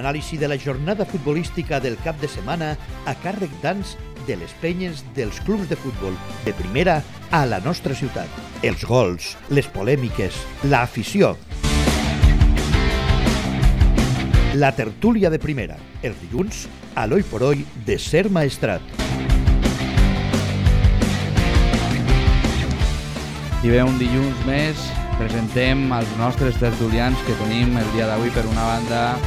l'anàlisi de la jornada futbolística del cap de setmana a càrrec d'ans de les penyes dels clubs de futbol de primera a la nostra ciutat. Els gols, les polèmiques, l'afició. La tertúlia de primera, els dilluns, a l'Oi por Hoy de Ser Maestrat. I bé, un dilluns més presentem els nostres tertulians que tenim el dia d'avui. Per una banda,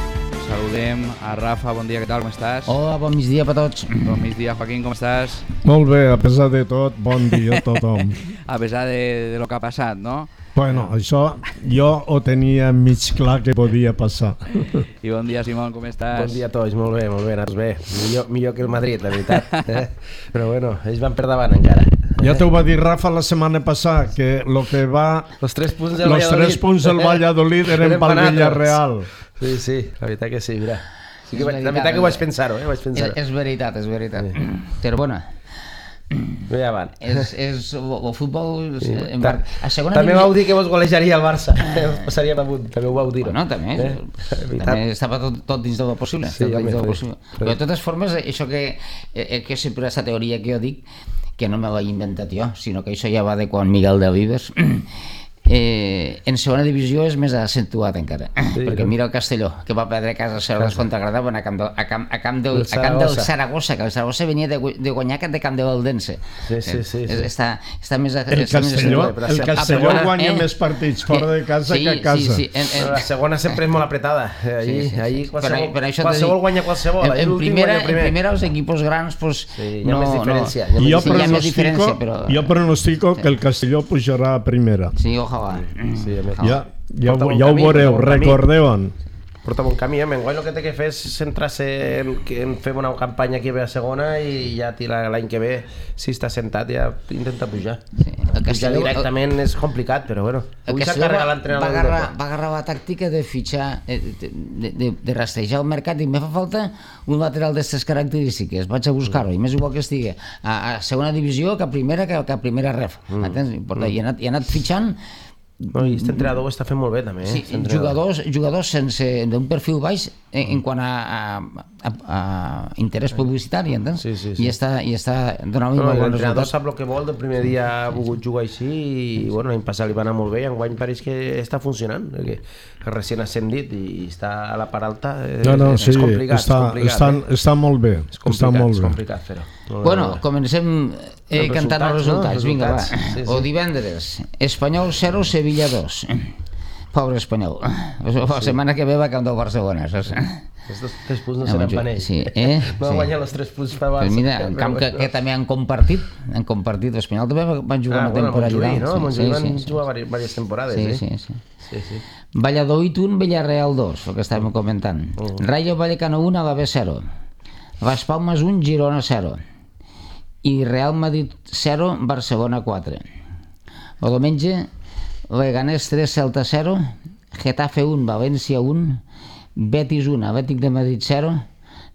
saludem a Rafa. Bon dia, què tal, com estàs? Hola, bon migdia per tots. Bon migdia, Joaquín, com estàs? Molt bé, a pesar de tot, bon dia a tothom. A pesar de lo que ha passat, no? Bueno, això jo ho tenia mig clar que podia passar. I bon dia, Simón, com estàs? Bon dia a tots, molt bé, anats bé. Millor que el Madrid, la veritat. Però bueno, ells van per davant encara. Ja t'ho va dir Rafa la setmana passada, que lo que va... Los 3 punts del Valladolid eren pel Villarreal. Sí, la veritat que sí, mira. Sí que la veritat que ho vaig pensar-ho, És veritat. Però bueno, ja van. és el futbol... També vau dir que vos golejaria el Barça. Passaria damunt, també ho vau dir. Bueno, també estava tot dins del possible. Però de totes formes, això que sempre és la teoria que jo dic, que no me l'he inventat jo, sinó que això ja va de quan Miguel de Vives, en segona divisió és més accentuat encara, perquè mira el Castelló, que va perdre a casa seva contra Granada a camp del Saragossa, que el Saragossa venia de guanyar de camp de Valdense. Sí. Està més el Castelló guanya més partits fora de casa que a casa. La segona sempre és molt apretada, ahí qualsevol guanya qualsevol. En primera els equipos grans hi ha més diferència. Jo pronostico que el Castelló pujarà a primera. Sí, ojalà. Ja ho veureu, recordeu-en. Porta bon camí, enguany el que té que fer és centrar-se en fer una campanya que ve a segona i ja l'any que ve, si està sentat, ja intenta pujar. Pujar directament és complicat, però bueno. Avui s'ha carregat l'entrenador. Va agarrar la tàctica de fitxar, de rastrejar el mercat, i me fa falta un lateral d'aquestes característiques, vaig a buscar-ho, i més igual que estigui a segona divisió que a primera ref. I ha anat fitxant. I aquest entrenador ho està fent molt bé també. Sí, jugadors sense d'un perfil baix en quant a interès publicitari, entens? I està donant un bon resultat. L'entrenador sap el que vol, del primer dia ha volgut jugar així i l'any passat li va anar molt bé i enguany pareix que està funcionant, que recient ascendit i està a la part alta. És complicat. Està molt bé. És complicat fer-ho. Bueno, comencem cantant els resultats. Vinga, va. O divendres, Espanyol 0, Sevilla 2. Pobre Espanyol. La setmana que ve va camp del Barcelona, saps? Els 3 punts no seran per ells. No guanyen els 3 punts per Barça. Mira, en camp que també han compartit, l'Espanyol també van jugar una temporada allà. A Montjuïc van jugar diverses temporades. Sí. Valladolid 1, Villarreal 2, el que estàvem comentant. Rayo Vallecano 1, Alavés 0. Las Palmas 1, Girona 0. I Real Madrid 0, Barcelona 4. El diumenge, Leganés 3, Celta 0, Getafe 1, València 1, Betis 1, Atlètic de Madrid 0,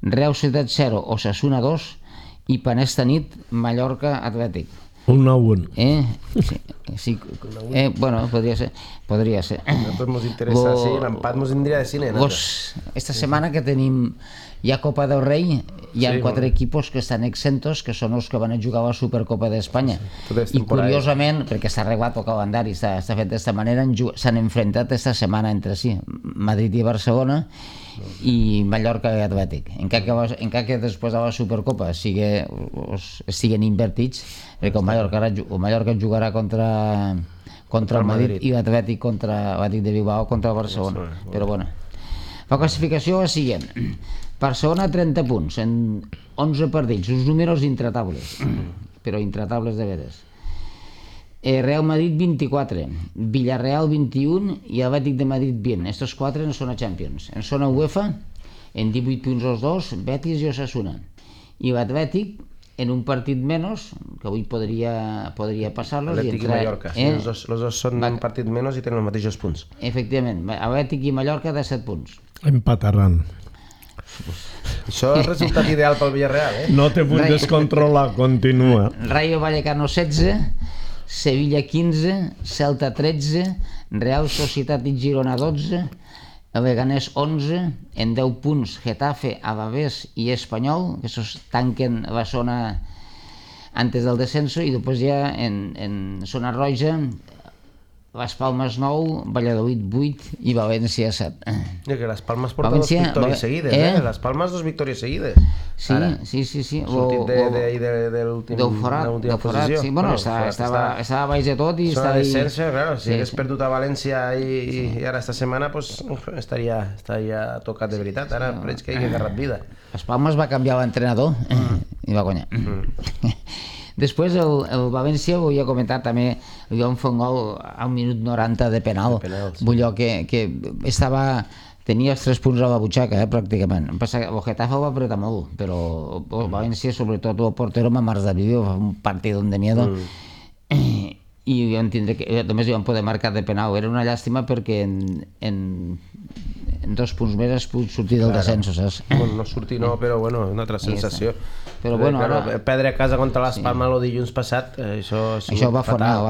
Real Societat 0, Osasuna 2 i per esta nit, Mallorca Atlètic. 1-1. Sí. Bueno, podria ser. Nosaltres ens interessa, l'empat ens indria de cine. Esta setmana que tenim ja Copa del Rei, hi ha 4 equipos que estan exentos, que són els que van a jugar a la Supercopa d'Espanya. I curiosament, perquè està arreglat el calendari, està fet d'esta manera, s'han enfrontat esta setmana entre si, Madrid i Barcelona, i Mallorca i Atlètic. Encara que després de la Supercopa estiguen invertits, perquè el Mallorca jugarà contra el Madrid i l'Atlètic contra l'Atlètic de Bilbao contra el Barcelona. Però bueno, la classificació és la següent. Barcelona 30 punts en 11 partits, uns números intratables, però intratables de veres. Real Madrid 24, Villarreal 21 i Atlètic de Madrid 20. Estos 4 no són a Champions. En zona UEFA, en 18 punts els dos, Betis i Osasuna. I l'Atlètic, en un partit menys, que avui podria passar-los. Atlètic i Mallorca. Els dos són un partit menys i tenen els mateixos punts. Efectivament, Atlètic i Mallorca de 7 punts. Empataran. Això és el resultat ideal pel Villarreal, No te vull descontrolar, continua. Rayo Vallecano 16, Sevilla 15, Celta 13, Real Societat i Girona 12, el Leganés 11, en 10 punts Getafe, Alavés i Espanyol, que tanquen la zona antes del descenso, i després ja en zona roja Las Palmas 9, Valladolid 8 i València 7. Que Las Palmas porta dos victòries seguides, Las Palmas 2 victòries seguides. Sí. Sortit de l'última posició. Sí, bueno, estava baix de tot i està ahí. Descenso, claro, si hagués perdut a València i ara esta setmana, pues estaria tocat de veritat. Ara veig que hi ha agarrat vida. Las Palmas va canviar l'entrenador i va guanyar. Després el València, volia comentar també, li van fer un gol al minut 90 de penal. Vull dir que tenia els 3 punts a la butxaca, pràcticament. El Getafe el va apretar molt, però el València, sobretot el portero Mamardashvili, va fer un partit de miedo. I vam tindre que, només hi van poder marcar de penal. Era una llàstima perquè en 2 punts més has pogut sortir del descens, saps? No sortir no, però bueno, una altra sensació. Però bueno, ara... Perdre a casa contra Las Palmas el dilluns passat, això va fanar.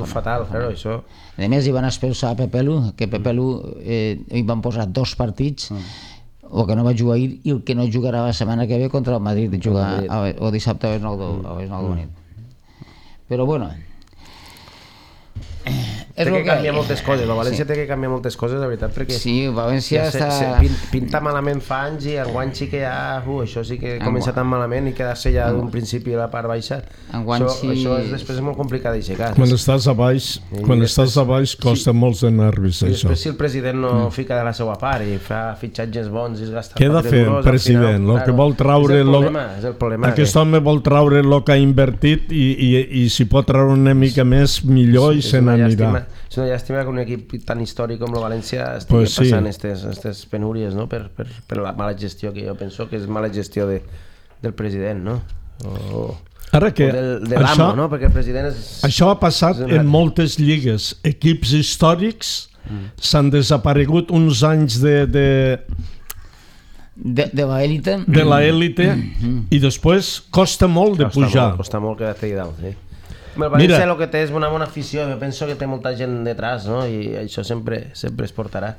Fatal, claro, això... A més, hi van expulsar a Pepelu, que Pepelu hi van posar 2 partits, el que no va jugar ahir i el que no jugarà la setmana que ve contra el Madrid, jugar el dissabte a les 9 de la nit. Però bueno... Té que canviar moltes coses, el València té que canviar moltes coses, de veritat, perquè el València pinta malament fa anys i enguany sí que ja, això sí que comença tan malament i quedar-se ja d'un principi a la part baixa, això després és molt complicat d'aixecar. Quan estàs a baix costa molts de nervis, això. Després si el president no fica de la seva part i fa fitxatges bons i es gasta... Què ha de fer el president? El que vol traure... És el problema. Aquest home vol traure el que ha invertit i si pot traure una mica més millor i se n'anirà. És una llàstima que un equip tan històric com el València estigui passant aquestes penúries, no? Per la mala gestió, que jo penso que és mala gestió del president, no? Ara que de l'amo, no? Perquè el president és... Això ha passat en moltes lligues. Equips històrics s'han desaparegut uns anys de l'élite i després costa molt de pujar. Costa molt quedar-te allà dalt, sí. El València el que té és una bona afició, jo penso que té molta gent detrás, no? I això sempre es portarà.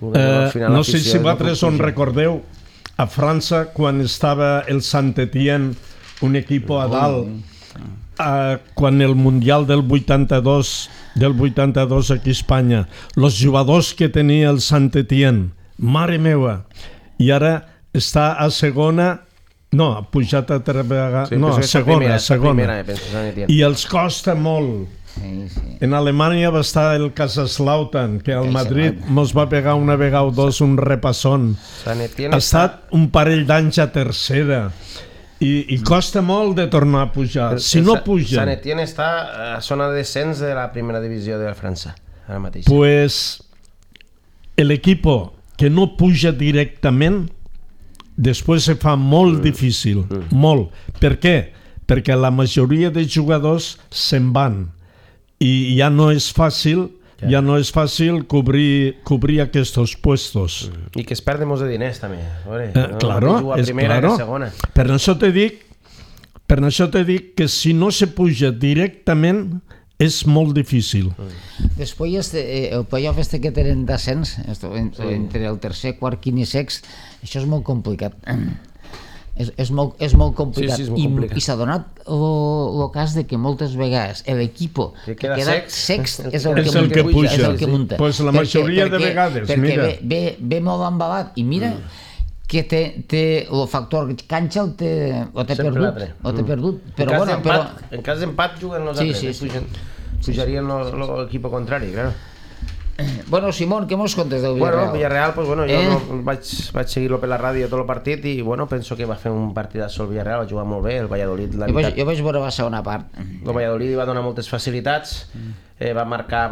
No sé si vosaltres on recordeu a França quan estava el Saint-Étienne, un equip a dalt, quan el Mundial del 82 aquí a Espanya, els jugadors que tenia el Saint-Étienne, mare meva, i ara està a segona. No, ha pujat a segona. I els costa molt. En Alemanya va estar el Kaiserslautern, que al Madrid mos va pegar una vegada o dos un repassón. Ha estat un parell d'anys a tercera. I costa molt de tornar a pujar. Si no puja... Saint-Étienne està a zona de descens de la primera divisió de França, ara mateix. Pues l'equip que no puja directament després se fa molt difícil, molt. Per què? Perquè la majoria de jugadors se'n van i ja no és fàcil cobrir aquests puestos. I que es perden molts de diners també. Claro. Per això te dic que si no se puja directament és molt difícil. Després el playoff que tenen descens entre el tercer, quart, quint i sext, això és molt complicat. És molt complicat. I s'ha donat el cas de que moltes vegades l'equip que queda sext és el que munta. Pues la majoria de vegades, mira. Perquè ve molt embalat i mira que té el factor canxa o té perdut. En cas d'empat juguen els altres. Pujarien l'equip contrari, claro. Bueno, Simón, què mos contes del Villarreal? Bueno, Villarreal, pues bueno, jo vaig seguir-lo per la ràdio tot el partit i bueno, penso que va fer un partidazo el Villarreal, va jugar molt bé, el Valladolid... Jo vaig veure la segona part. El Valladolid va donar moltes facilitats, va marcar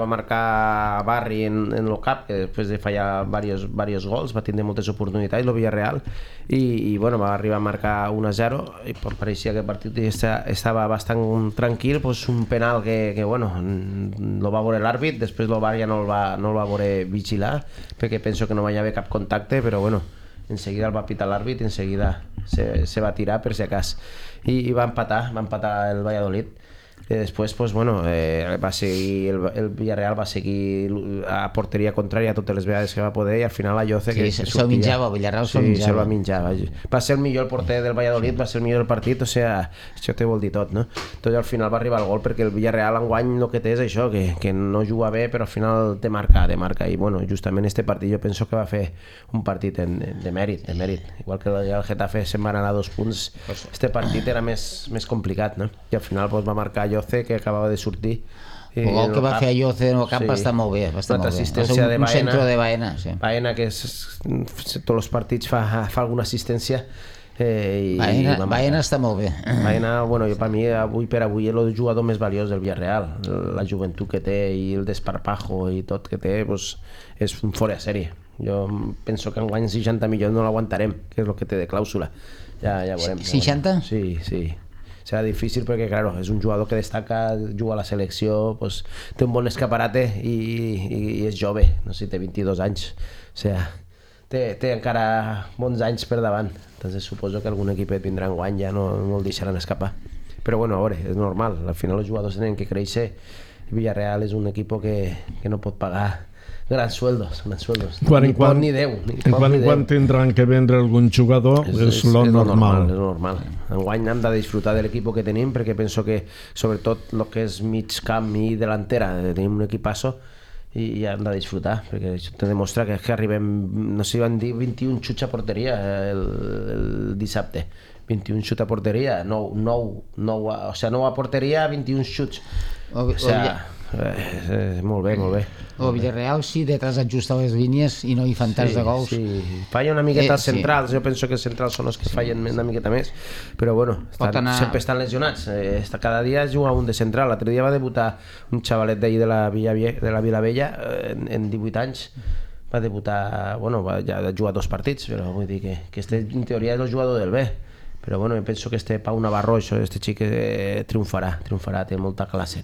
Barri en el cap, que després de fallar diversos gols, va tindre moltes oportunitats el Villarreal i bueno, va arribar a marcar 1-0 i pareixia que el partit estava bastant tranquil, pues un penal que bueno, lo va veure l'àrbit, després el VAR ja no el va veure vigilar, perquè penso que no va haver cap contacte, però bueno, en seguida el va pitar l'àrbit, en seguida se va tirar per si acas i va empatar el Valladolid. Després, va seguir el Villarreal va seguir a porteria contrària totes les vegades que va poder i al final la Lloce que se'l minjava, el Villarreal se'l minjava. Sí, se'l va minjar. Va ser el millor porter del Valladolid, va ser el millor del partit, això te vol dir tot, no? Tot al final va arribar el gol perquè el Villarreal enguany el que té és això, que no juga bé però al final te marca i justament este partit jo penso que va fer un partit de mèrit, igual que el Getafe se'n va anar a 2 punts, este partit era més complicat, no? I al final va marcar Lloce que acabava de sortir. El gol que va fer Lloce en el camp va estar molt bé, va ser un centre de Baena. Baena que tots els partits fa alguna assistència. Baena està molt bé. Baena, per mi, avui per avui és el jugador més valiós del Villarreal. La joventut que té i el desparpajo i tot que té és un fora de sèrie. Jo penso que enguany 60 milions no l'aguantarem, que és el que té de clàusula. Ja veurem. 60? Sí. Serà difícil perquè, claro, és un jugador que destaca, juga a la selecció, té un bon escaparate i és jove, no sé, té 22 anys. O sigui, té encara bons anys per davant. Entonces suposo que algun equipet vindrà enguany, ja no el deixaran escapar. Però a veure, és normal, al final els jugadors tenen que créixer. Villarreal és un equip que no pot pagar grans sueldos. Ni Déu. Quan tindran que vendre algun jugador és lo normal. És normal. Enguany hem de disfrutar de l'equip que tenim perquè penso que sobretot el que és mig camp i delantera tenim un equipasso i hem de disfrutar perquè això te demostra que arribem, no sé, van dir 21 xuts a porteria el dissabte. 21 xuts a porteria, 9 a porteria, 21 xuts. Molt bé. El Villarreal sí, detrás ajusta les línies i no hi fan tants de gols. Sí, falla una miqueta als centrals, jo penso que els centrals són els que fallen una miqueta més, però sempre estan lesionats. Cada dia juga un de central. L'altre dia va debutar un xavalet d'ahir de la Vilavella en 18 anys. Va debutar, ja va jugar 2 partits, però vull dir que en teoria és el jugador del B. Però penso que Pau Navarro, este xic triomfarà, té molta classe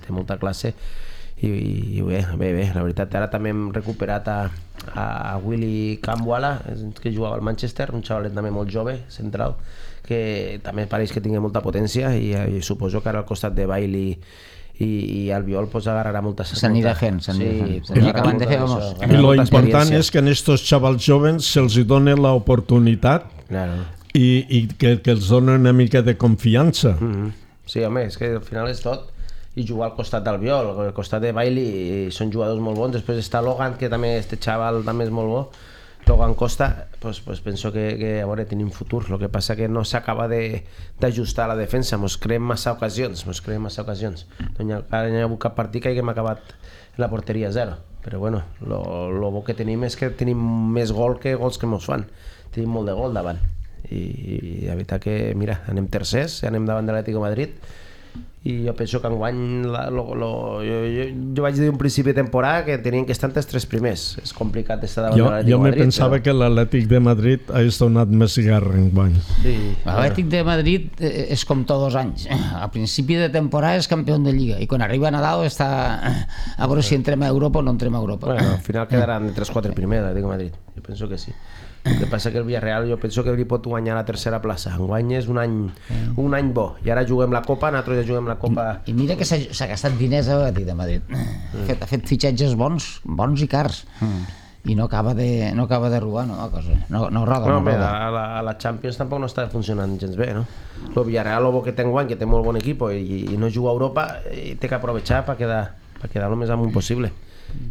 i bé, la veritat. Ara també hem recuperat a Willy Kambwala, que jugava al Manchester, un xavalet també molt jove, central, que també pareix que tingui molta potència i suposo que ara al costat de Bailey i Albiol agarrarà molta... S'anirà fent. I lo important és que a estos xavals joves se'ls doni l'oportunitat i que els donen una mica de confiança. Sí, home, és que al final és tot. I jugar al costat d'Albiol, al costat de Bailey, són jugadors molt bons. Després està Logan, que també, este xaval també és molt bo. Logan Costa, penso que a veure, tenim futur. El que passa que no s'acaba d'ajustar la defensa. Mos creem massa ocasions. Ara no hi ha hagut cap partit que haguem acabat la porteria 0. Però el bo que tenim és que tenim més gol que gols que mos fan. Tenim molt de gol davant. I la veritat que, mira, anem tercers, anem davant de l'Atlético de Madrid i jo penso que enguany jo vaig dir un principi de temporada que tenien que estar entre els 3 primers. És complicat estar davant de l'Atlético de Madrid. Jo pensava que l'Atlètic de Madrid hagués donat més guerra enguany. L'Atlètic de Madrid és com tots els anys. Al principi de temporada és campió de Lliga i quan arriba a Nadal està a veure si entrem a Europa o no entrem a Europa. Al final quedaran entre els 4 primers l'Atlético de Madrid. Jo penso que sí. El que passa que el Villarreal jo penso que li pot guanyar la tercera plaça. Enguany és un any bo. I ara juguem la Copa, nosaltres ja juguem la Copa... I mira que s'ha gastat diners a l'Atlètic de Madrid. Ha fet fitxatges bons i cars. I no acaba de robar, no, la cosa. No roda. A la Champions tampoc no està funcionant gens bé, no? El Villarreal, el bo que té enguany, que té molt bon equip i no juga a Europa, i té que aprovechar per quedar el més amunt possible.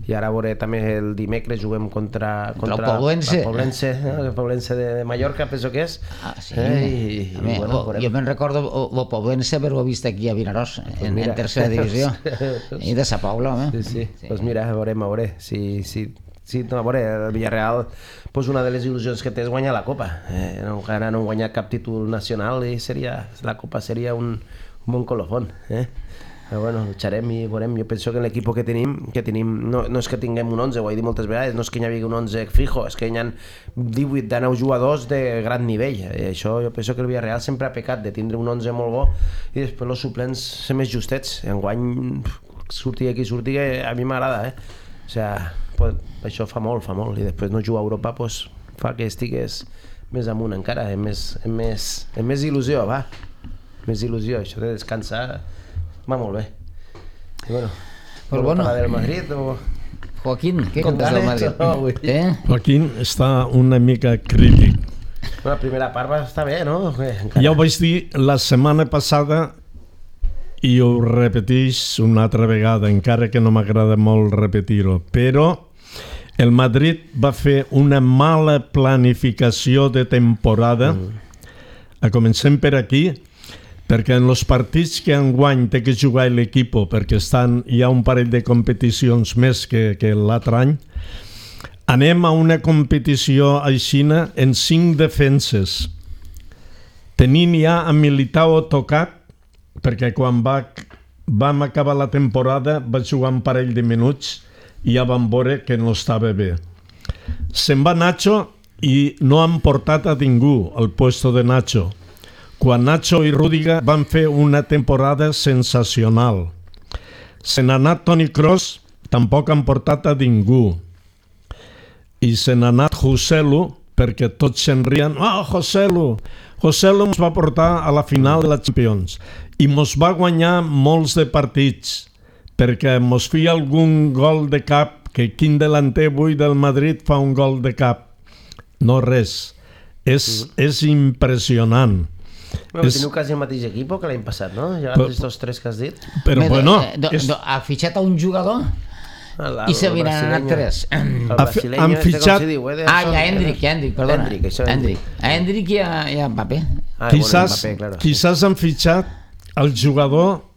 I ara veure també el dimecres juguem contra el Poblense. El Poblense de Mallorca, penso que és. Jo me'n recordo el Poblense haver-ho vist aquí a Vinaròs, en tercera divisió. I de Sa Paula, home. Sí. Doncs mira, veurem. Sí, a veure, el Villarreal, una de les il·lusions que té és guanyar la Copa. Encara no han guanyat cap títol nacional i la Copa seria un bon colofón. Però lucharem i veurem. Jo penso que l'equip que tenim no és que tinguem un 11, ho he dit moltes vegades, no és que hi hagi un 11 fijo, és que hi ha 18 de 9 jugadors de gran nivell. Això jo penso que el Villarreal sempre ha pecat de tindre un 11 molt bo i després els suplents ser més justets. Enguany surti aquí, a mi m'agrada, o sigui, això fa molt, i després no jugar a Europa fa que estigues més amunt encara, amb més il·lusió, va. Més il·lusió, això de descansar va molt bé. Bueno, pues bueno. ¿la del Madrid o...? Joaquín, què contes del Madrid? Joaquín està una mica crític. La primera part va estar bé, no? Ja ho vaig dir la setmana passada i ho repeteix una altra vegada, encara que no m'agrada molt repetir-ho, però el Madrid va fer una mala planificació de temporada, comencem per aquí, perquè en els partits que enguany té que jugar l'equip, perquè hi ha un parell de competicions més que l'altre any, anem a una competició aixina en 5 defenses. Tenint ja a Militao tocat, perquè quan vam acabar la temporada va jugar un parell de minuts i ja vam veure que no estava bé. Se'n va Nacho i no han portat a ningú al puesto de Nacho, quan Nacho i Rüdiger van fer una temporada sensacional. Se n'ha anat Toni Kroos, tampoc han portat a ningú. I se n'ha anat Joselu, perquè tots se'n rien. Joselu ens va portar a la final de la Champions i mos va guanyar molts de partits, perquè mos feia algun gol de cap, que quin delanter avui del Madrid fa un gol de cap? No res. És impressionant. Teniu quasi el mateix equip que l'any passat, no? Ja els 2-3 que has dit. Però bueno... Ha fitxat a un jugador i se li n'han anat 3. Han fitxat... Hendrik, perdona. Hendrik i a Mbappé. Quizás han fitxat el jugador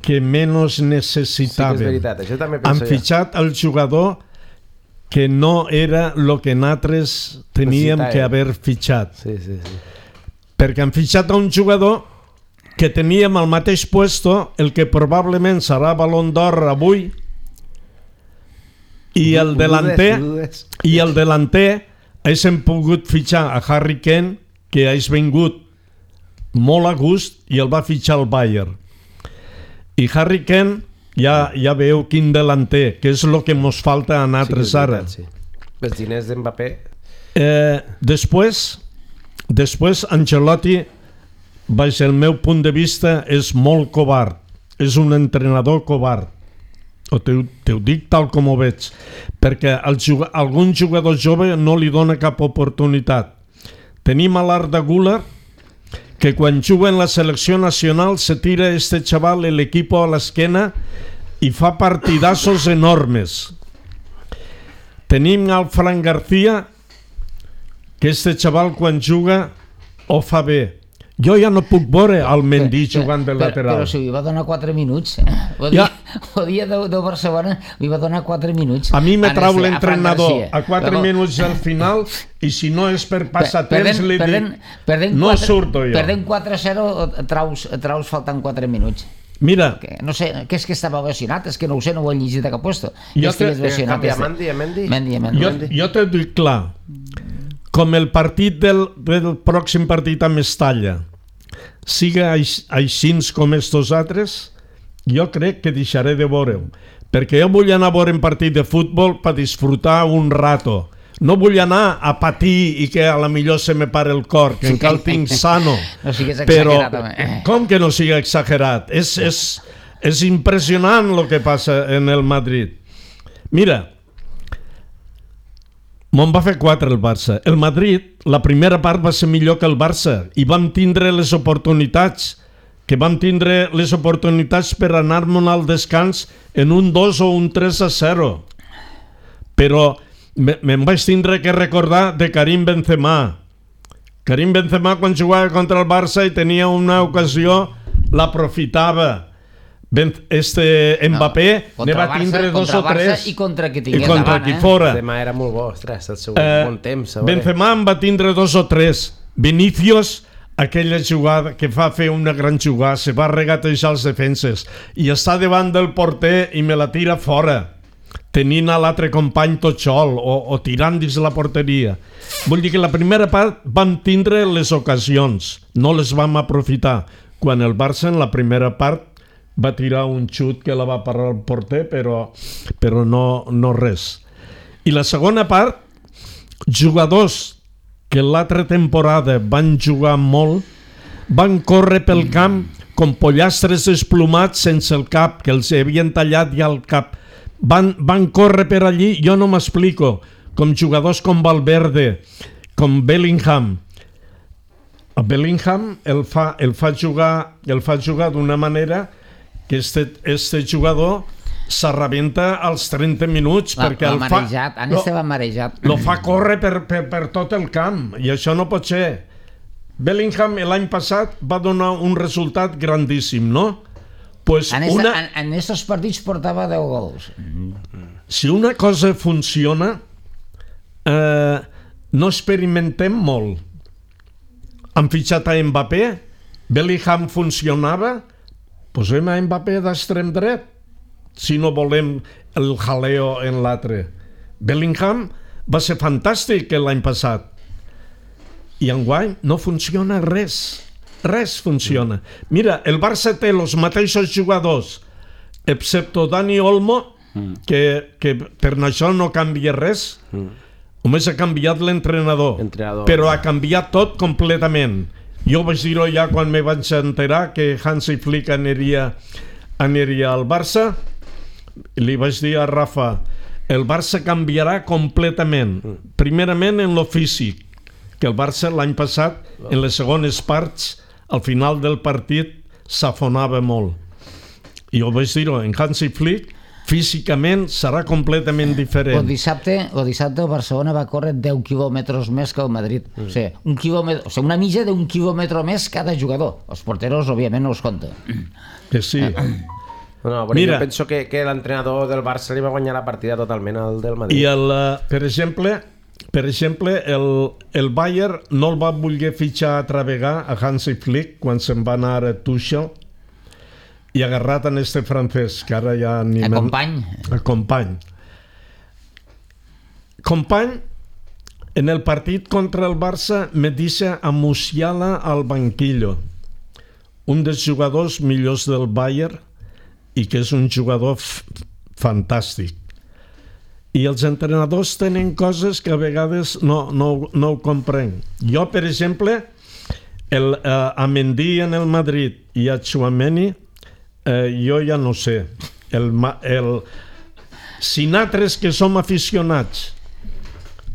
que menys necessitava. Sí que és veritat, això també penso han fitxat el jugador que no era el que nosaltres teníem que haver fitxat. Sí. Perquè han fitxat a un jugador que teníem al mateix puesto, el que probablement serà Ballon d'Or avui, i el delanter haguéssim pogut fitxar a Harry Kane, que hagués vingut molt a gust i el va fitxar el Bayern. I Harry Kane ja veu quin delanter, que és el que ens falta a nosaltres ara. Els diners d'Mbappé. Després Ancelotti, baix el meu punt de vista, és molt covard. És un entrenador covard. Te ho dic tal com ho veig. Perquè algun jugador jove no li dona cap oportunitat. Tenim a l'Arda Güler, que quan juga en la selecció nacional se tira este xaval l'equip a l'esquena i fa partidassos enormes. Tenim al Fran García, que este xaval quan juga ho fa bé. Jo ja no puc veure el Mendy jugant de lateral. Però si li va donar 4 minuts. El dia de Barcelona li va donar 4 minuts. A mi me trau l'entrenador a 4 minuts al final i si no és per passatemps li dic no surto jo. Perdent 4-0 traus faltant 4 minuts. Mira, no sé, què és que estava lesionat? És que no ho sé, no ho he llegit de cap puesto. Jo t'ho dic clar. Com el partit del pròxim partit a Mestalla siga així com estos altres, jo crec que deixaré de veure-ho, perquè jo vull anar a veure un partit de futbol per disfrutar un rato. No vull anar a patir i que a la millor se me pare el cor, que encara el tinc sano. No sigues exagerat. Però com que no sigui exagerat? És impressionant el que passa en el Madrid. Mira, me'n va fer 4 el Barça. El Madrid, la primera part va ser millor que el Barça i vam tindre les oportunitats per anar-me'n al descans en un 2 o un 3-0. Però me'n vaig tindre que recordar de Karim Benzema. Karim Benzema quan jugava contra el Barça i tenia una ocasió, l'aprofitava. Mbappé ne va tindre 2 o 3 i contra qui fora. Benzema era molt bo, ostres, el seu bon temps. Benzema en va tindre 2 o 3. Vinicius, aquella jugada que fa fer una gran jugada, se va regatejar els defenses i està davant del porter i me la tira fora, tenint a l'altre company tot sol o tirant dins la porteria. Vull dir que la primera part vam tindre les ocasions, no les vam aprofitar, quan el Barça en la primera part va tirar un xut que la va parar el porter, però no res. I la segona part, jugadors que l'altra temporada van jugar molt, van córrer pel camp com pollastres desplomats sense el cap, que els havien tallat ja el cap. Van córrer per allí, jo no m'explico, com jugadors com Valverde, com Bellingham. A Bellingham el fa jugar d'una manera que este jugador s'arrebenta als 30 minuts perquè el fa córrer per tot el camp, i això no pot ser. Bellingham l'any passat va donar un resultat grandíssim, no? Pues en estos partits portava 10 gols. Si una cosa funciona, no experimentem molt. Han fitxat a Mbappé, Bellingham funcionava, posem a Mbappé d'extrem dret, si no volem el jaleo en l'altre. Bellingham va ser fantàstic l'any passat, i enguany no funciona res funciona. Mira, el Barça té els mateixos jugadors, excepte Dani Olmo, que per això no canvia res. Només ha canviat l'entrenador, però ha canviat tot completament. Jo vaig dir-ho ja quan me vaig enterar que Hansi Flick aniria al Barça. Li vaig dir a Rafa, el Barça canviarà completament. Primerament en lo físic, que el Barça l'any passat, en les segones parts, al final del partit, s'afonava molt. I jo vaig dir-ho, en Hansi Flick, físicament serà completament diferent. El dissabte el Barcelona va córrer 10 quilòmetres més que el Madrid. O sigui, una mitja d'un quilòmetre més cada jugador. Els porteros, òbviament, no els compta. Que sí. No, però jo penso que l'entrenador del Barça li va guanyar la partida totalment al del Madrid. I per exemple, el Bayern no el va voler fitxar altra vegada a Hansi Flick quan se'n va anar a Tuchel, i agarrat en este francès, que ara ja... El Company. Company, en el partit contra el Barça, me deixa a Musiala al banquillo. Un dels jugadors millors del Bayern, i que és un jugador fantàstic. I els entrenadors tenen coses que a vegades no ho comprenc. Jo, per exemple, a Mendy en el Madrid i a Tchouaméni, jo ja no sé. Si nosaltres que som aficionats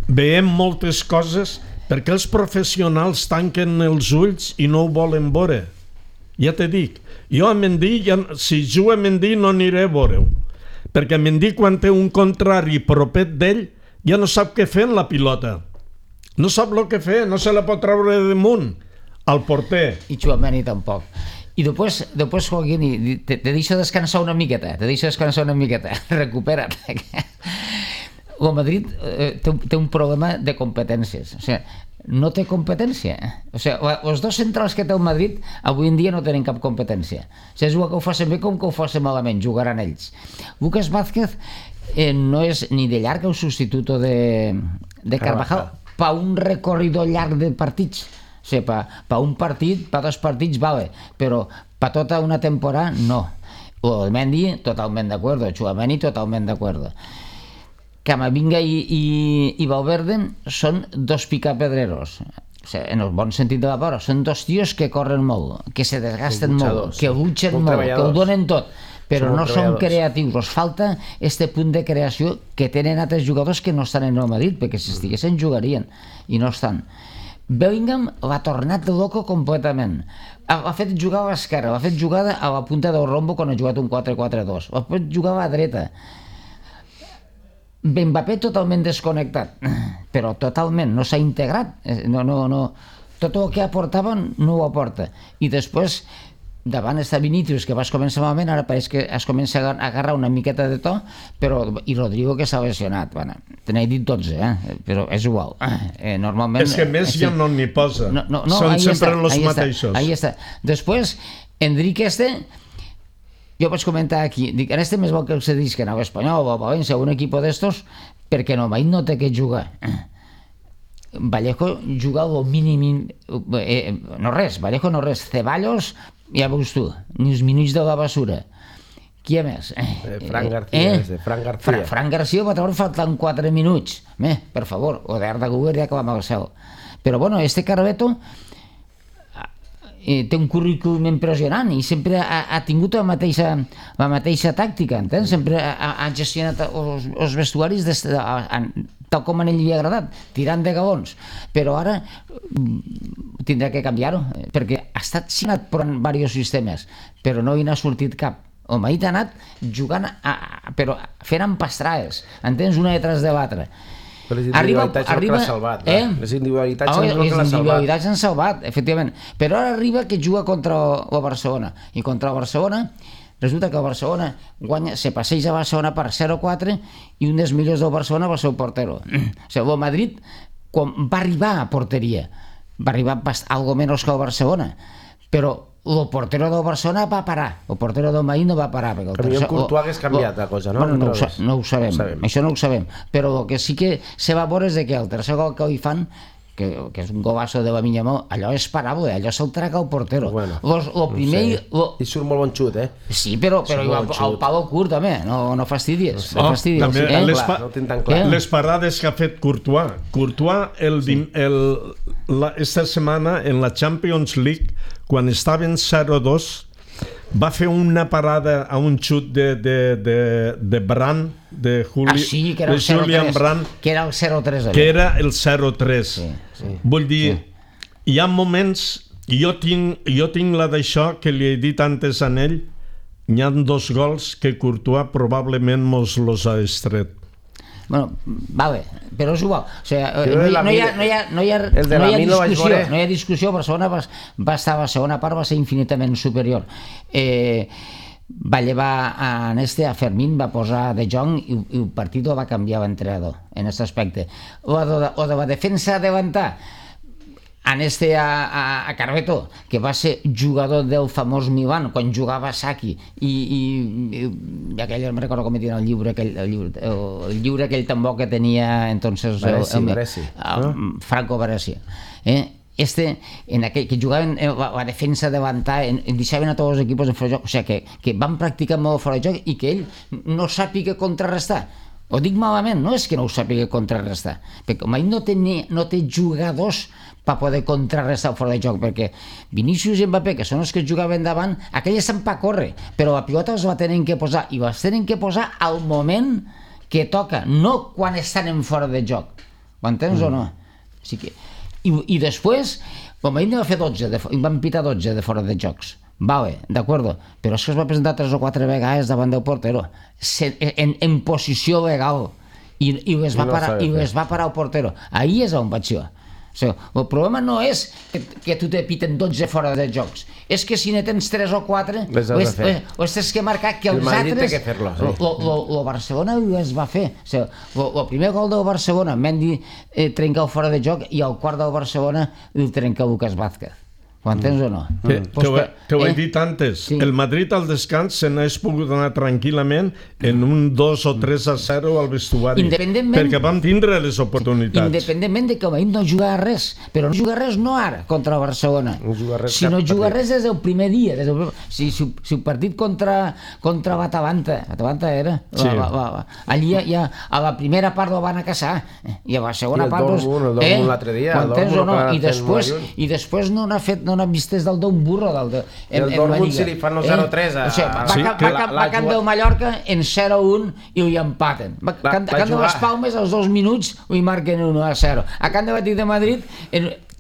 veiem moltes coses, perquè els professionals tanquen els ulls i no ho volen veure. Ja te dic, jo a Mendy, si juga a Mendy no aniré a veure-ho, perquè Mendy quan té un contrari propet d'ell ja no sap què fer en la pilota, no sap el que fer, no se la pot treure damunt al porter. I Tchouaméni tampoc. I després Joaquín, te deixo descansar una miqueta, recupera't. El Madrid té un problema de competències, o sigui, no té competència. O sigui, els dos centrals que té el Madrid avui en dia no tenen cap competència. O sigui, és igual que ho facin bé com que ho facin malament, jugaran ells. Lucas Vázquez no és ni de llarg el substitut de Carvajal per un recorrido llarg de partits. O sigui, per un partit, per dos partits, vale, però per tota una temporada, no. O el Mendy, totalment d'acord, o Tchouaméni, totalment d'acord. Camavinga i Valverde són dos picapedreros, o sigui, en el bon sentit de la paraula, són dos tios que corren molt, que se desgasten molt, que luchen molt, que ho donen tot, però no són creatius. Els falta este punt de creació que tenen altres jugadors que no estan en el Madrid, perquè si estiguessin jugarien, i no estan. Bellingham l'ha tornat loco completament. Ha fet jugar a l'esquerra, l'ha fet jugar a la punta del rombo quan ha jugat un 4-4-2, l'ha fet jugar a la dreta. Mbappé totalment desconnectat, però totalment, no s'ha integrat, tot el que aportava no ho aporta. I després, davant està Vinícius, que vas començar malament, ara pareix que es comença a agarrar una miqueta de to, i Rodrigo, que s'ha lesionat. Bueno, te n'he dit 12, però és igual. Normalment... És que més ja no n'hi posa. Són sempre els mateixos. Ahí està. Després, Enrique jo vaig comentar aquí, dic, en més vol que el cedisquen a l'Espanyol o a València o un equip d'estos, perquè no té que jugar. Vallejo juga el mínim, no res, Vallejo no res, Ceballos, ja veus tu, ni els minuts de la basura. Qui més? Fran García. Fran García va treure faltant 4 minuts. Per favor, o d'Arda Güler ja clama al cel. Però bueno, este Carbeto té un currículum impressionant i sempre ha tingut la mateixa tàctica, entens? Sempre ha gestionat els vestuaris tal com a ell li ha agradat, tirant de galons. Però ara tindrà que canviar-ho, perquè ha estat signat per diversos sistemes, però no hi n'ha sortit cap. El Madrid ha anat jugant, però fent empastrades, entens? Una detrás de l'altra. Les individualitats és el que l'ha salvat. Les individualitats han salvat, efectivament. Però ara arriba que juga contra el Barcelona. I contra el Barcelona resulta que el Barcelona se passeja a Barcelona per 0-4 i un dels millors del Barcelona va ser el portero. O sigui, el Madrid, quan va arribar a porteria, va arribar algo menys que el Barcelona, però el portero del Barcelona va parar, el portero del Madrid no va parar. Potser amb Courtois hagués canviat la cosa, no? Bueno, no ho sabem, això no ho sabem, però el que sí que se va veure és que el tercer gol que li fan, que és un golazo de Lamine Yamal, allò és parable, allò se'l traga el portero. I surt molt bon xut, eh? Sí, però el palo curt també, no fastidies. També les parades que ha fet Courtois. Courtois esta setmana en la Champions League, quan estaven 0-2, va fer una parada a un xut de Brandt, de Julian Brandt, que era el 0-3. Que era el 0-3. Vull dir, hi ha moments, jo tinc la d'això que li he dit antes a ell, hi ha 2 gols que Courtois probablement mos los ha estret. Bueno, vale, però és igual. O sigui, no hi ha discussió. Barcelona va estar a la segona part, va ser infinitament superior. Va llevar a Fermín, va posar De Jong i el partit va canviar l'entrenador en aquest aspecte. O de la defensa adelantar a Carveto, que va ser jugador del famós Milan quan jugava Saki i aquell, no recordo com tenia el lliure aquell tambor que tenia entonces Franco Baresi, en aquell que jugaven a defensa davantar, deixaven a tots els equips en fora de joc, o sigui que van practicar molt fora de joc i que ell no sàpiga contrarrestar. Ho dic malament, no és que no ho sàpiga contrarrestar, perquè com ell no té jugadors per poder contrarrestar fora de joc, perquè Vinícius i Mbappé, que són els que jugaven davant, aquells estan per córrer, però la pilota els la tenen que posar, i les tenen que posar al moment que toca, no quan estan en fora de joc. Ho entens o no? I després, com ell va fer 12, van pitar 12 de fora de jocs. Vale, d'acord, però és que es va presentar 3 o 4 vegades davant del portero en posició legal i les va parar el portero. Ahí és on vaig jo. El problema no és que tu te piten 12 fora de jocs, és que si ne tens 3 o 4 ho tens que marcar que els altres. El Barcelona les va fer. El primer gol del Barcelona, Mendy trenca el fora de joc, i el quart del Barcelona el trenca Lucas Vázquez. Ho entens o no? Te ho he dit antes, el Madrid al descans se n'hagués pogut anar tranquil·lament en un 2 o 3-0 al vestuari, perquè vam tindre les oportunitats. Independentment de que no juga res, però no juga res no ara contra el Barcelona, sinó juga res des del primer dia. Si el partit contra Atalanta era, allí ja a la primera part el van a caçar, i a la segona part el Dortmund l'altre dia, i després no n'ha fet, no n'ha vist des del d'un burro el Dortmund si li fan el 0-3 va canviar el Mallorca en 0-1 i ho empaten. A Can de les Palmes als 2 minuts ho marquen 1-0. A Can de Batit de Madrid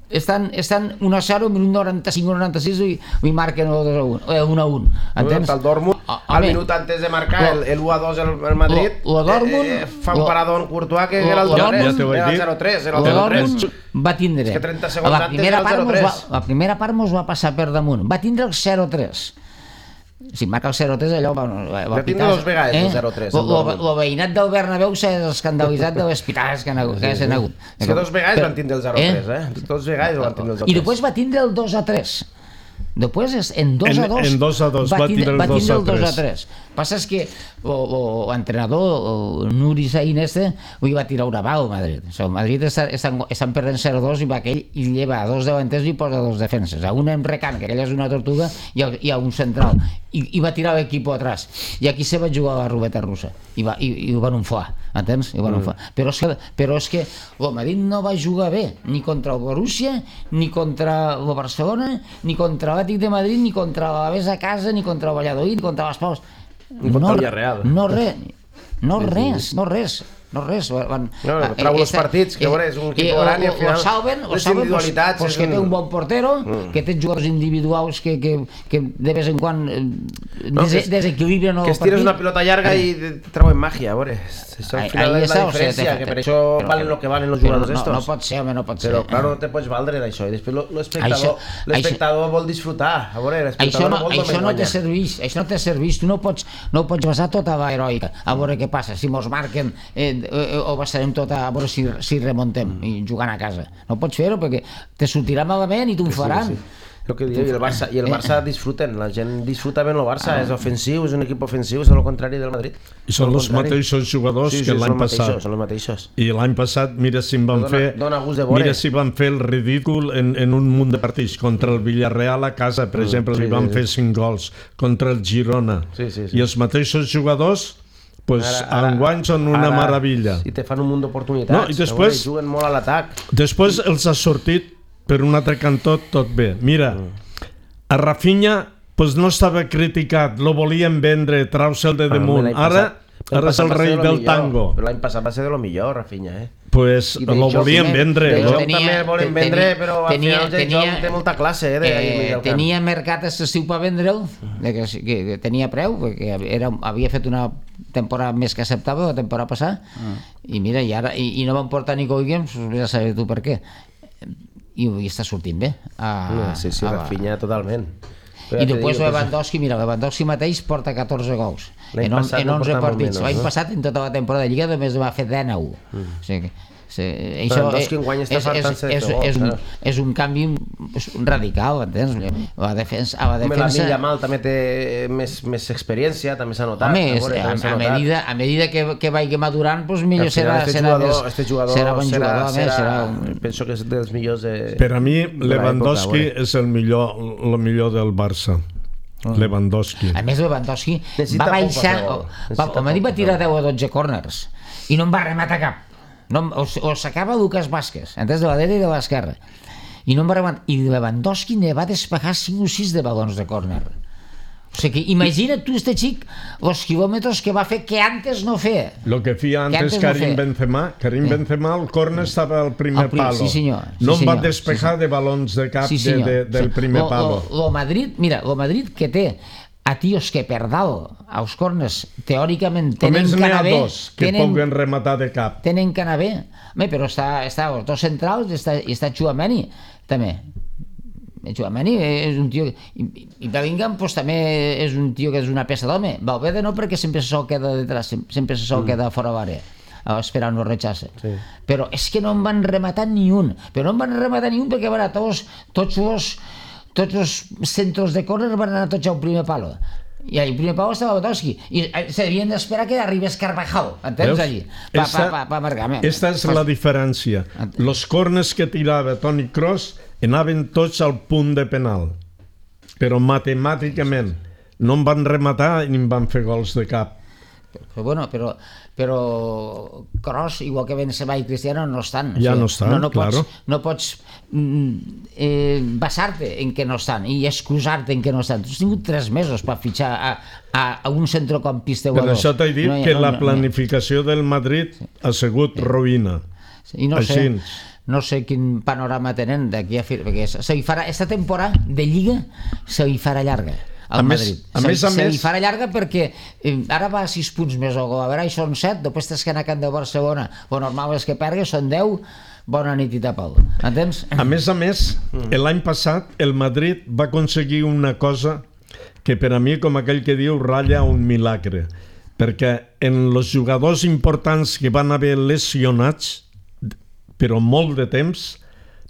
estan 1-0, minut 95-96 i marquen 1-1. Entens? El Dortmund, al minut antes de marcar el 1-2 el Madrid, fa un parador en Courtois que era el 0-3. El Dortmund va tindre, la primera part mos va passar per damunt, va tindre el 0-3. Si marca el 0-3 allò va pitar. Va 2 vegades el 0-3. El veïnat del Bernabéu s'ha escandalitzat de les pitades que s'han hagut. És que 2 vegades van tindre el 0-3, 2 vegades van tindre el 0-3. I després va tindre el 2-3. Després en 2-2 va tindre el 2-3. Passa és que entrenador, Nuri Sahin ho va tirar una bala al Madrid. El Madrid estan perdent 0-2 i va aquell i lleva 2 davanters i posa 2 defenses. A un en recant, que aquella és una tortuga, i a un central. I va tirar l'equip atrás. I aquí se va jugar a la ruleta russa. I ho van unflar, entens? Però és que el Madrid no va jugar bé, ni contra el Borussia, ni contra el Barcelona, ni contra l'Atlètic de Madrid, ni contra l'Alavés a casa, ni contra el Valladolid, ni contra les Palmes. Ni contra el Villarreal. No res. Trau els partits, que és un equip gran i al final les individualitats... Que té un bon portero, que té jugadors individuals que de vez en quan desequilibren el partit. Que estires una pilota llarga i treuen màgia, a veure, això al final és la diferència, que per això valen el que valen els jugadors estos. No pot ser, home, no pot ser. Però, clar, no te pots valdre d'això, i després l'espectador vol disfrutar, a veure, l'espectador no vol això no te serveix, tu no pots basar tota l'heroica, a veure què passa, si mos marquen o basarem tot a veure si remontem i jugant a casa. No pots fer-ho perquè te sortirà malament i t'ho faran. I el Barça disfruten, la gent disfruta ben el Barça, és ofensiu, és un equip ofensiu, és el contrari del Madrid. I són els mateixos jugadors que l'any passat. Són els mateixos. I l'any passat, mira si van fer el ridícul en un munt de partits. Contra el Villarreal a casa, per exemple, li van fer 5 gols. Contra el Girona. I els mateixos jugadors enguany són una meravella. I te fan un munt d'oportunitats, juguen molt a l'atac. Després els ha sortit per un altre cantó tot bé. Mira, a Rafinha no estava criticat, lo volien vendre, trau-se'l de damunt. Ara és el rei del tango. Però l'any passat va ser de lo millor, Rafinha, Pues lo volien vendre. També volen vendre, però al final el joc té molta classe. Tenia mercat excessiu per vendre'l, que tenia preu, perquè havia fet una temporada més que acceptable la temporada passada, i mira, i no van portar Nico Williams, ja sabeu tu per què, i està sortint bé. Sí, Rafinha totalment. I després Lewandowski mateix porta 14 gols en 11 partits. L'any passat en tota la temporada de Lliga només va fer 19. O sigui, Lewandowski enguany està fartant-se de gols. És un canvi radical, entens? La defensa... La Yamal també té més experiència, també s'ha notat. A medida que vagi madurant, millor serà este jugador penso que és dels millors. Per a mi Lewandowski és el millor del Barça. Lewandowski. A més, Lewandowski va baixar... El Madrid va tirar 10 o 12 corners i no en va rematar cap. O sacava Lucas Vázquez, entès, de la dreta i de l'esquerra, i no em va rematar, i Lewandowski ne va despejar 5 o 6 de balons de córner. O sigui, imagina't tu, este xic, els quilòmetres que va fer que antes no feia. Lo que feia antes Karim Benzema, el córner estava al primer palo. No em va despejar de balons de cap del primer palo. Lo Madrid que té a tios que per dalt, als corners, teòricament tenen que anar bé. Només n'hi ha 2 que puguen rematar de cap. Tenen que anar bé. Però està els 2 centrals i està Tchouaméni, també. Tchouaméni és un tio... I Bellingham també és un tio que és una peça d'home. Valverde no, perquè sempre se sol queda detrás, sempre se sol queda fora l'àrea, esperant el rechace. Però és que no en van rematar ni un. Però no en van rematar ni un perquè van a tots els centres de córner van anar tots al primer palo. I al primer palo estava Lewandowski. I s'havien d'esperar que arribés Carvajal, entens, allí? Esta és la diferència. Els corners que tirava Toni Kroos anaven tots al punt de penal. Però matemàticament no en van rematar ni en van fer gols de cap. Però Kroos, igual que Benzema i Cristiano, no estan. Ja no estan, claro. No pots basar-te en què no estan i excusar-te en què no estan. Tu has tingut 3 mesos per fitxar a un centrocampista o a 2. Per això t'he dit que la planificació del Madrid ha sigut ruïna. I no sé quin panorama tenen d'aquí a fi, perquè aquesta temporada de Lliga se li farà llarga al Madrid. Se li farà llarga perquè ara va a 6 punts més o a veure, són 7, després tens que anar a Camp de Barcelona, o normal és que pergues, són 10, bona nit i tapau, entens? A més, l'any passat el Madrid va aconseguir una cosa que per a mi, com aquell que diu, ratlla un milagre, perquè en els jugadors importants que van haver lesionats, però molt de temps,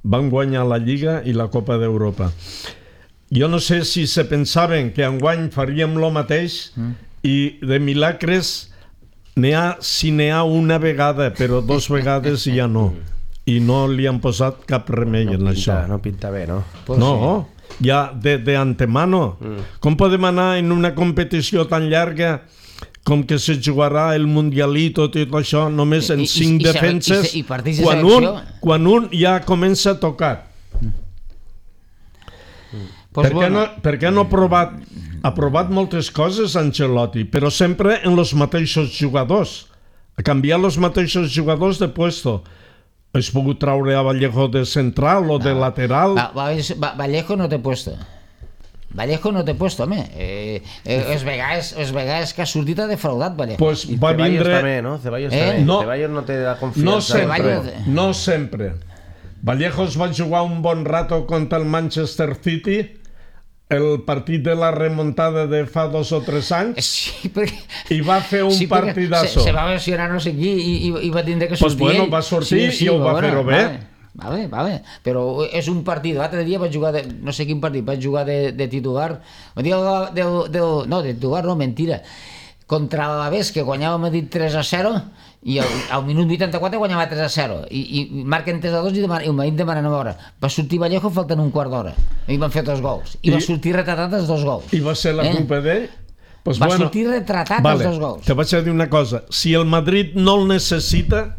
van guanyar la Lliga i la Copa d'Europa. Jo no sé si se pensaven que enguany faríem lo mateix i de milagres si n'hi ha una vegada, però 2 vegades ja no. I no li han posat cap remei en això. No pinta bé, no? No, ja d'antemano. Com podem anar en una competició tan llarga com que se jugarà el Mundialito i tot això només en 5 defenses quan un ja comença a tocar? Per què no ha provat moltes coses Ancelotti, però sempre en els mateixos jugadors, a canviar els mateixos jugadors de puesto? Has pogut traure a Vallejo de central o de lateral? Vallejo no té puesto. Vallejo no té puesto, home. Les vegades que ha sortit ha defraudat Vallejo. Pues va vindre... Ceballos també, no? Ceballos no té la confiança. No sempre. Vallejo es va jugar un bon rato contra el Manchester City, el partit de la remuntada de fa 2 o 3 anys, i va fer un partidazo. Se va lesionar no sé qui i va tindre que sortir. Pues bueno, va sortir i ho va fer-ho bé. Vale, però és un partit. L'altre dia vaig jugar, no sé quin partit, vaig jugar de titular. No, de titular no, mentira. Contra l'Alavés, que guanyava a Madrid 3-0, i al minut 84 guanyava 3-0, i marquen 3-2 i el Madrid demana 9 hores. Va sortir Vallejo faltant un quart d'hora, i van fer 2 gols. I va sortir retratat els 2 gols. I va ser la culpa d'ell? Va sortir retratat els 2 gols. Te vaig a dir una cosa. Si el Madrid no el necessita,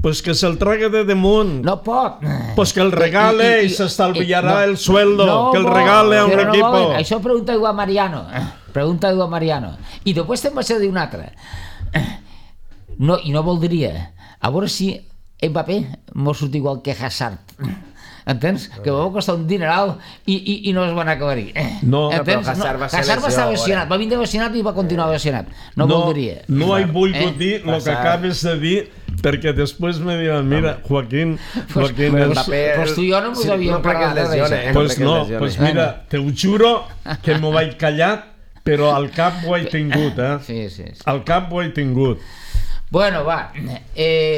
pues que se'l trague de damunt. No pot. Pues que el regale i s'estalviarà el sueldo. Que el regale a un equipo. Això pregunta-ho a Mariano. Pregunta-ho a Mariano. I després te'n vaig a dir una altra. I no voldria. A veure si Mbappé mos surt igual que Hazard. Entens? Que va costar un dineral i no es van acabar-hi. No, però Hazard va ser Hazard va estar lesionat. Va vindre lesionat i va continuar lesionat. No voldria. No he volgut dir el que acabes de dir, perquè després me diuen, mira, Joaquín... Pues tu i jo no mos havíem parlat de res. Pues no, pues mira, te ho juro que m'ho vaig callar, però al cap ho he tingut, Sí. Al cap ho he tingut. Bueno, va,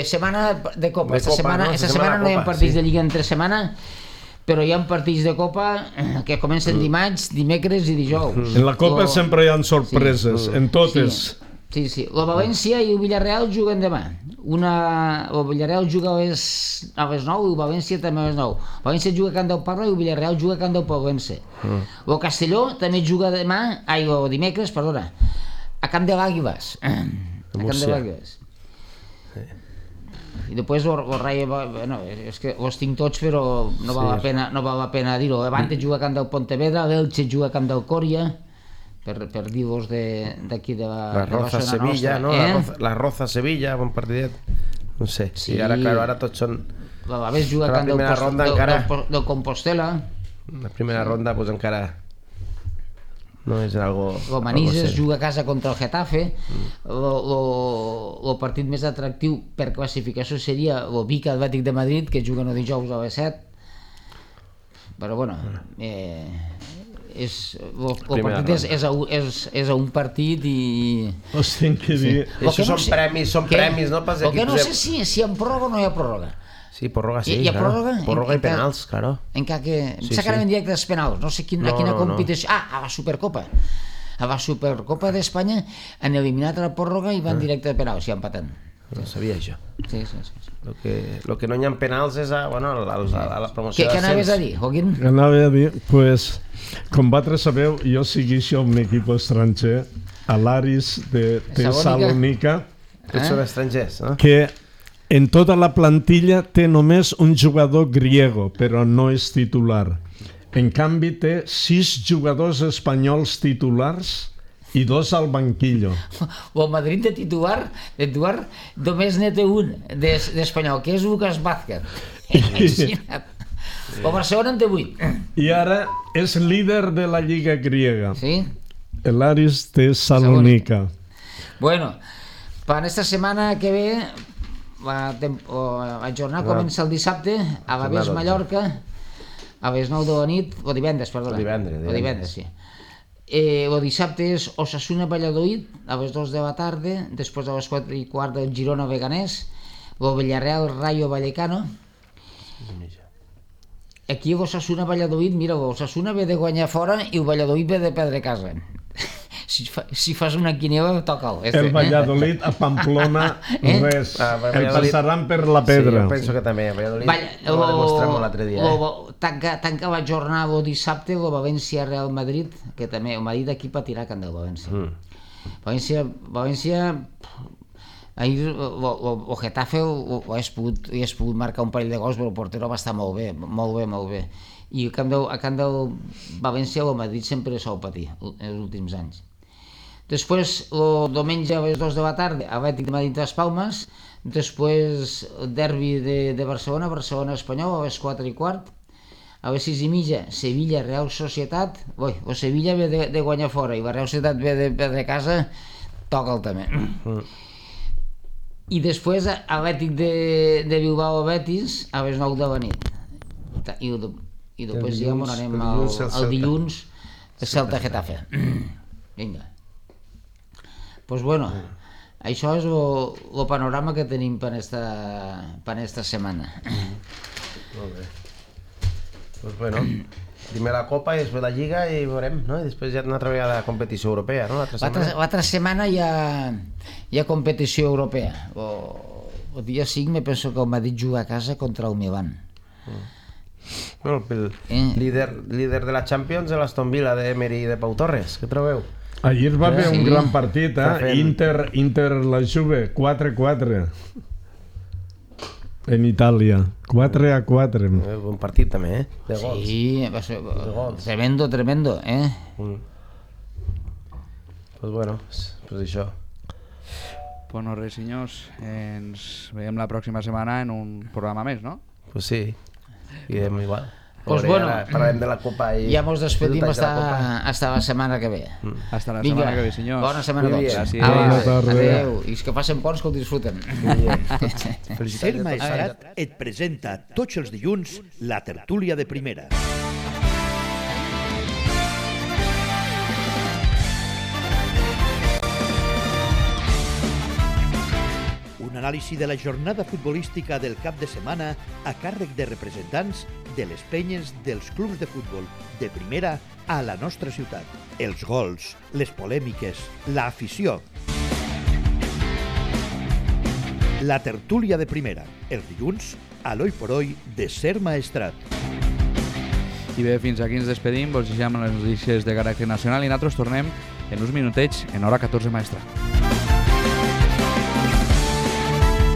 setmana de Copa. Esta setmana no hi ha partits de Lliga entre setmana, però hi ha partits de Copa que comencen dimarts, dimecres i dijous. En la Copa sempre hi ha sorpreses, en totes. Sí. La València i el Villarreal juguen demà. El Villarreal juga a les 9 i el València també a les 9. El València juga a Can del Parla i el Villarreal juga a Can del Pollença. El Castelló també juga dimecres, a Camp de l'Àguiles. A Camp de l'Àguiles. I després el Rayo, bueno, és que els tinc tots, però no val la pena dir-ho. Levante juga a Camp del Pontevedra, l'Elche juga a Camp del Còria, per dir-vos d'aquí de la zona nostra. La Roza Sevilla, bon partidet. No sé, sí, ara tots són... L'Alavés juga a Camp del Compostela. La primera ronda, doncs encara... No és algo... El Manises juga a casa contra el Getafe. El partit més atractiu per classificació seria el Vic Atlètic de Madrid, que juguen el dijous a les 7. Però bueno, el partit és a un partit i... Us tinc que dir... Això són premis, no? El que no sé si hi ha pròrroga o no hi ha pròrroga. Sí, pròrroga sí. Hi ha pròrroga? Pròrroga i penals, claro. Sacarem en directe els penals, no sé a quina competició... A la Supercopa. A la Supercopa d'Espanya han eliminat la pròrroga i van directe a penals, ja empaten. No sabia això. Sí. Lo que no hi ha penals és a la promoció Què anaves a dir, Joaquín? Anava a dir, pues, com vosaltres sabeu, jo segueixo un equip estranger, a l'Aris de Salònica. Tots són estrangers, no? Que en tota la plantilla té només un jugador griego, però no és titular. En canvi té 6 jugadors espanyols titulars i 2 al banquillo. El Madrid de titular només n'hi té un d'espanyol, que és Lucas Vázquez. Imagina't. El Barcelona en té 8. I ara és líder de la Lliga griega. Sí? L'Aris de Salònica. Bueno, per esta setmana que ve... La jornada comença el dissabte a l'Alavés Mallorca a les 9 de la nit, o divendres, perdona. O divendres, sí. El dissabte és Osasuna Valladolid a les 2 de la tarda, després a les 4:15 del Girona Beganès, el Villarreal Rayo Vallecano. Aquí l'Osasuna Valladolid, mira, l'Osasuna ve de guanyar fora i el Valladolid ve de perdre a casa. si fas una quineva, toca'l. El Valladolid a Pamplona, res. El passaran per la pedra. Sí, jo penso que també. El Valladolid ho va demostrar molt l'altre dia. Tanca la jornada el dissabte el València-Real Madrid, que també el Madrid aquí patirà can del València. València... Ahir el Getafe hagués pogut marcar un parell de gols, però el portero va estar molt bé. I a camp del València el Madrid sempre sol patir els últims anys. Després, el diumenge a les 2 de la tarda, Atlètic de Madrid Las Palmas, després el derbi de Barcelona, Barcelona-Espanyol, a les 4:15, a les 6:30, Sevilla, Real Societat. El Sevilla ve de guanyar fora i la Real Societat ve de casa, toca'l també. I després Atlètic de Bilbao a Betis a les 9 de la nit. I després ja anem el dilluns a Celta Getafe. Vinga. Doncs bueno, això és el panorama que tenim per esta setmana. Molt bé. Doncs bueno, primer la Copa i després la Lliga i veurem, no? I després ja una altra vegada la competició europea, no? L'altra setmana hi ha competició europea. El dia 5 me penso que el Madrid juga a casa contra el Milan. Bueno, el líder de la Champions de l'Aston Villa d'Emery i de Pau Torres, què trobeu? Ahir va haver un gran partit, Inter la Juve, 4-4 en Itàlia, 4-4. Un partit també, de gols. Sí, va ser tremendo, Pues bueno, pues això. Pues no res, senyors, ens veiem la pròxima setmana en un programa més, no? Pues sí, irem igual. Pues bueno, parlarem de la Copa i... Ja mos despedim hasta la setmana que ve. Hasta la setmana que ve, senyors. Bona setmana a tots. Bona tarda. Adéu. I que passen ponts que el disfruten. Ser Maestrat et presenta tots els dilluns la tertúlia de primera. Un anàlisi de la jornada futbolística del cap de setmana a càrrec de representants de les penyes dels clubs de futbol de primera a la nostra ciutat. Els gols, les polèmiques, l'afició. La tertúlia de primera, els dilluns, a l'Oi por Hoy de Ser Maestrat. I bé, fins aquí ens despedim, vos deixem les notícies de caràcter nacional i nosaltres tornem en uns minutets en hora 14 Maestrat.